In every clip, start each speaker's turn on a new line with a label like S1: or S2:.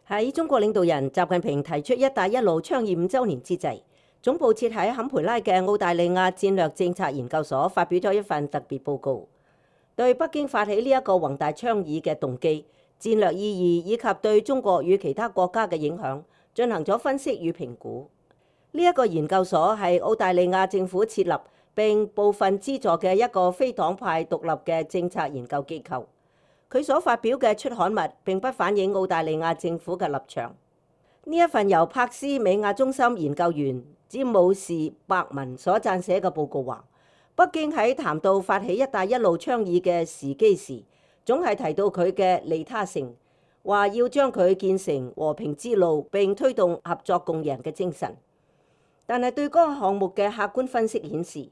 S1: 喺中國領導人習近平提出「一帶一路」倡議5週年之際，總部設喺坎培拉嘅澳大利亞戰略政策研究所發表咗一份特別報告，對北京發起呢一個宏大倡議嘅動機、戰略意義以及對中國與其他國家嘅影響進行咗分析與評估。呢一個研究所係澳大利亞政府設立並部分資助嘅一個非黨派獨立嘅政策研究機構。佢所發表嘅出刊物並不反映澳大利亞政府嘅立場。呢一份由柏斯美亞中心研究員詹姆士伯文所撰寫嘅報告話，北京喺談到發起「一帶一路」倡議嘅時機時，總係提到佢嘅利他性，話要將佢建成和平之路並推動合作共贏嘅精神。但係對嗰個項目嘅客觀分析顯示，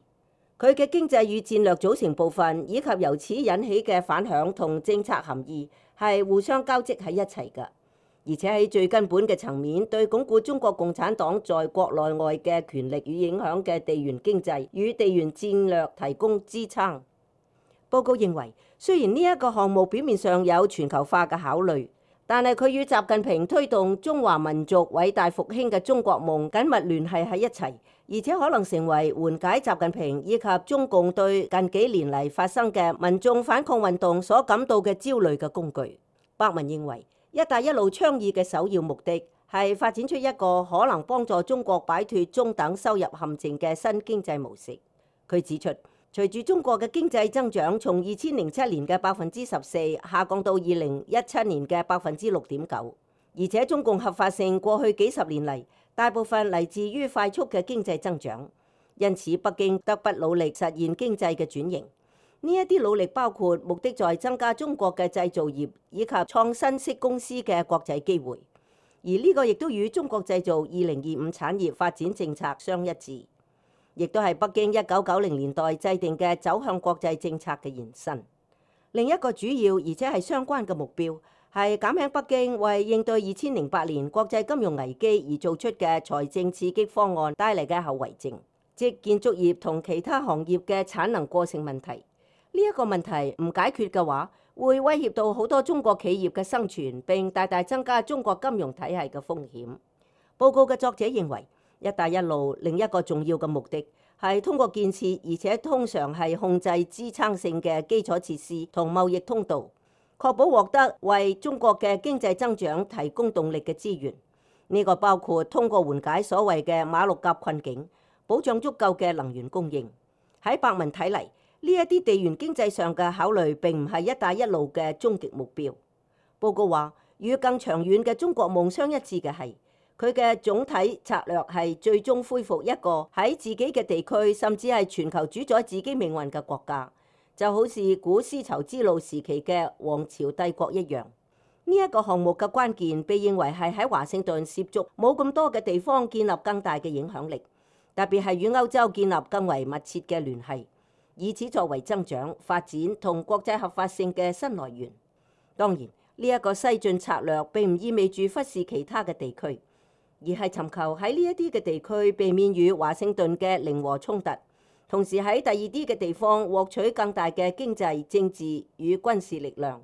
S1: 佢嘅經濟與戰略組成部分以及由此引起嘅反響同政策含義係互相交織喺一齊嘅，而且喺最根本嘅層面對鞏固中國共產黨在國內外嘅權力與影響嘅地緣經濟與地緣戰略提供支撐。報告認為，雖然呢一個項目表面上有全球化嘅考慮，但係佢與習近平推動中華民族偉大復興嘅中國夢緊密聯繫喺一齊，而且可能成為緩解習近平以及中共對近幾年嚟發生嘅民眾反抗運動所感到嘅焦慮嘅工具。伯文認為，一帶一路倡議嘅首要目的係發展出一個可能幫助中國擺脫中等收入陷阱嘅新經濟模式。佢指出，隨住中國嘅經濟增長從2007年嘅14%下降到2017年嘅6.9%，而且中共合法性過去幾十年嚟大部分嚟自於快速嘅經濟增長，因此北京得不努力實現經濟嘅轉型。呢一啲努力包括目的在增加中國嘅製造業以及創新式公司嘅國際機會，而呢個亦都與中國製造2025產業發展政策相一致，亦都係北京1990年代制定嘅走向國際政策嘅延伸。另一個主要而且係相關嘅目標係減輕北京為應對2008年國際金融危機而做出嘅財政刺激方案帶嚟嘅後遺症，即建築業同其他行業嘅產能過剩問題。呢一個問題唔解決嘅話，會威脅到好多中國企業嘅生存，並大大增加中國金融體系嘅風險。報告嘅作者認為，一帶一路另一個重要嘅目的係通過建設，而且通常係控制支撐性嘅基礎設施同貿易通道，確保獲得為中國嘅經濟增長提供動力嘅資源。呢個包括通過緩解所謂嘅馬六甲困境，保障足夠嘅能源供應。喺伯文睇嚟，呢一啲地緣經濟上嘅考慮並唔係一帶一路嘅終極目標。報告話，與更長遠嘅中國夢相一致嘅係，佢嘅總體策略係最終恢復一個喺自己嘅地區甚至係全球主宰自己命運嘅國家，就好似古絲綢之路時期嘅王朝帝國一樣。呢一個項目嘅關鍵被認為係喺華盛頓涉足冇咁多嘅地方建立更大嘅影響力，特別係與歐洲建立更為密切嘅聯繫，以此作為增長、發展同國際合法性嘅新來源。當然，呢一個西進策略並唔意味住忽視其他嘅地區，而係尋求喺呢一啲嘅地區避免與華盛頓嘅零和衝突，同時喺第二啲嘅地方獲取更大嘅經濟、政治與軍事力量。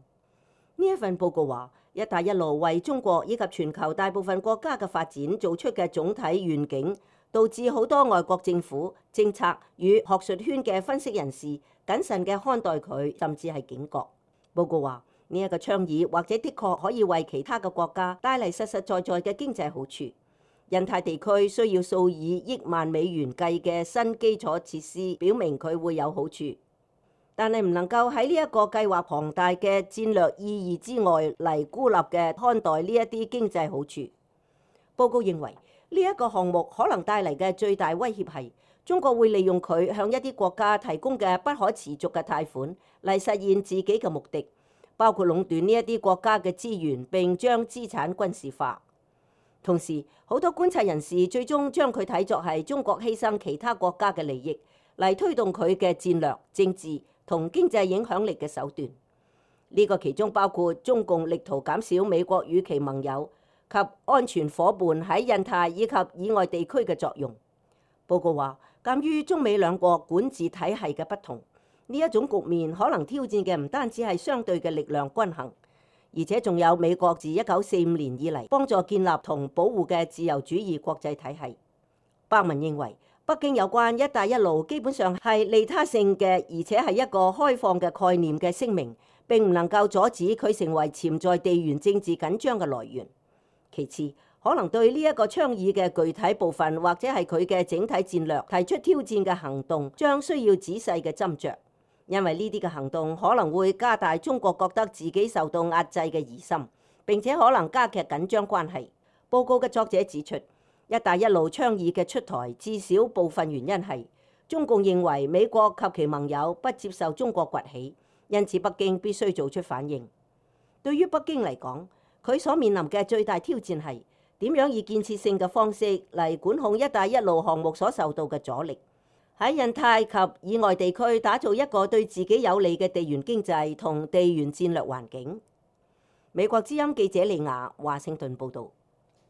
S1: 呢一份報告話，一帶一路為中國以及全球大部分國家嘅發展做出嘅總體願景，導致好多外國政府、政策與學術圈嘅分析人士謹慎嘅看待佢，甚至係警覺。報告話，呢一個倡議或者的確可以為其他嘅國家帶嚟實實在在嘅經濟好處。印太地區需要數以億萬美元計嘅新基礎設施，表明佢會有好處，但係唔能夠喺呢一個計劃龐大嘅戰略意義之外嚟孤立嘅看待呢一啲經濟好處。報告認為，呢一個項目可能帶嚟嘅最大威脅係中國會利用佢向一啲國家提供嘅不可持續嘅貸款嚟實現自己嘅目的，包括壟斷呢一啲國家嘅資源並將資產軍事化。同時，好多觀察人士最終將佢睇作係中國犧牲其他國家嘅利益嚟推動佢嘅戰略、政治同經濟影響力嘅手段。呢個其中包括中共力圖減少美國與其盟友及安全夥伴喺印太以及以外地區嘅作用。報告話，鑑於中美兩國管治體系嘅不同，呢一種局面可能挑戰嘅唔單止係相對嘅力量均衡，而且仲有美國自1945年以嚟幫助建立同保護嘅自由主義國際體系。伯文認為，北京有關一帶一路基本上係利他性嘅，而且係一個開放嘅概念嘅聲明，並唔能夠阻止佢成為潛在地緣政治緊張嘅來源。其次，可能對呢一個倡議嘅具體部分或者係佢嘅整體戰略提出挑戰嘅行動，將需要仔細嘅斟酌，因為呢啲嘅行動可能會加大中國覺得自己受到壓制嘅疑心，並且可能加劇緊張關係。報告嘅作者指出，一帶一路倡議嘅出台，至少部分原因係中共認為美國及其盟友不接受中國崛起，因此北京必須做出反應。對於北京嚟講，佢所面臨嘅最大挑戰係點樣以建設性嘅方式嚟管控一帶一路項目所受到嘅阻力，喺印太及以外地區打造一個對自己有利嘅地緣經濟同地緣戰略環境。美國之音記者李雅華盛頓報導。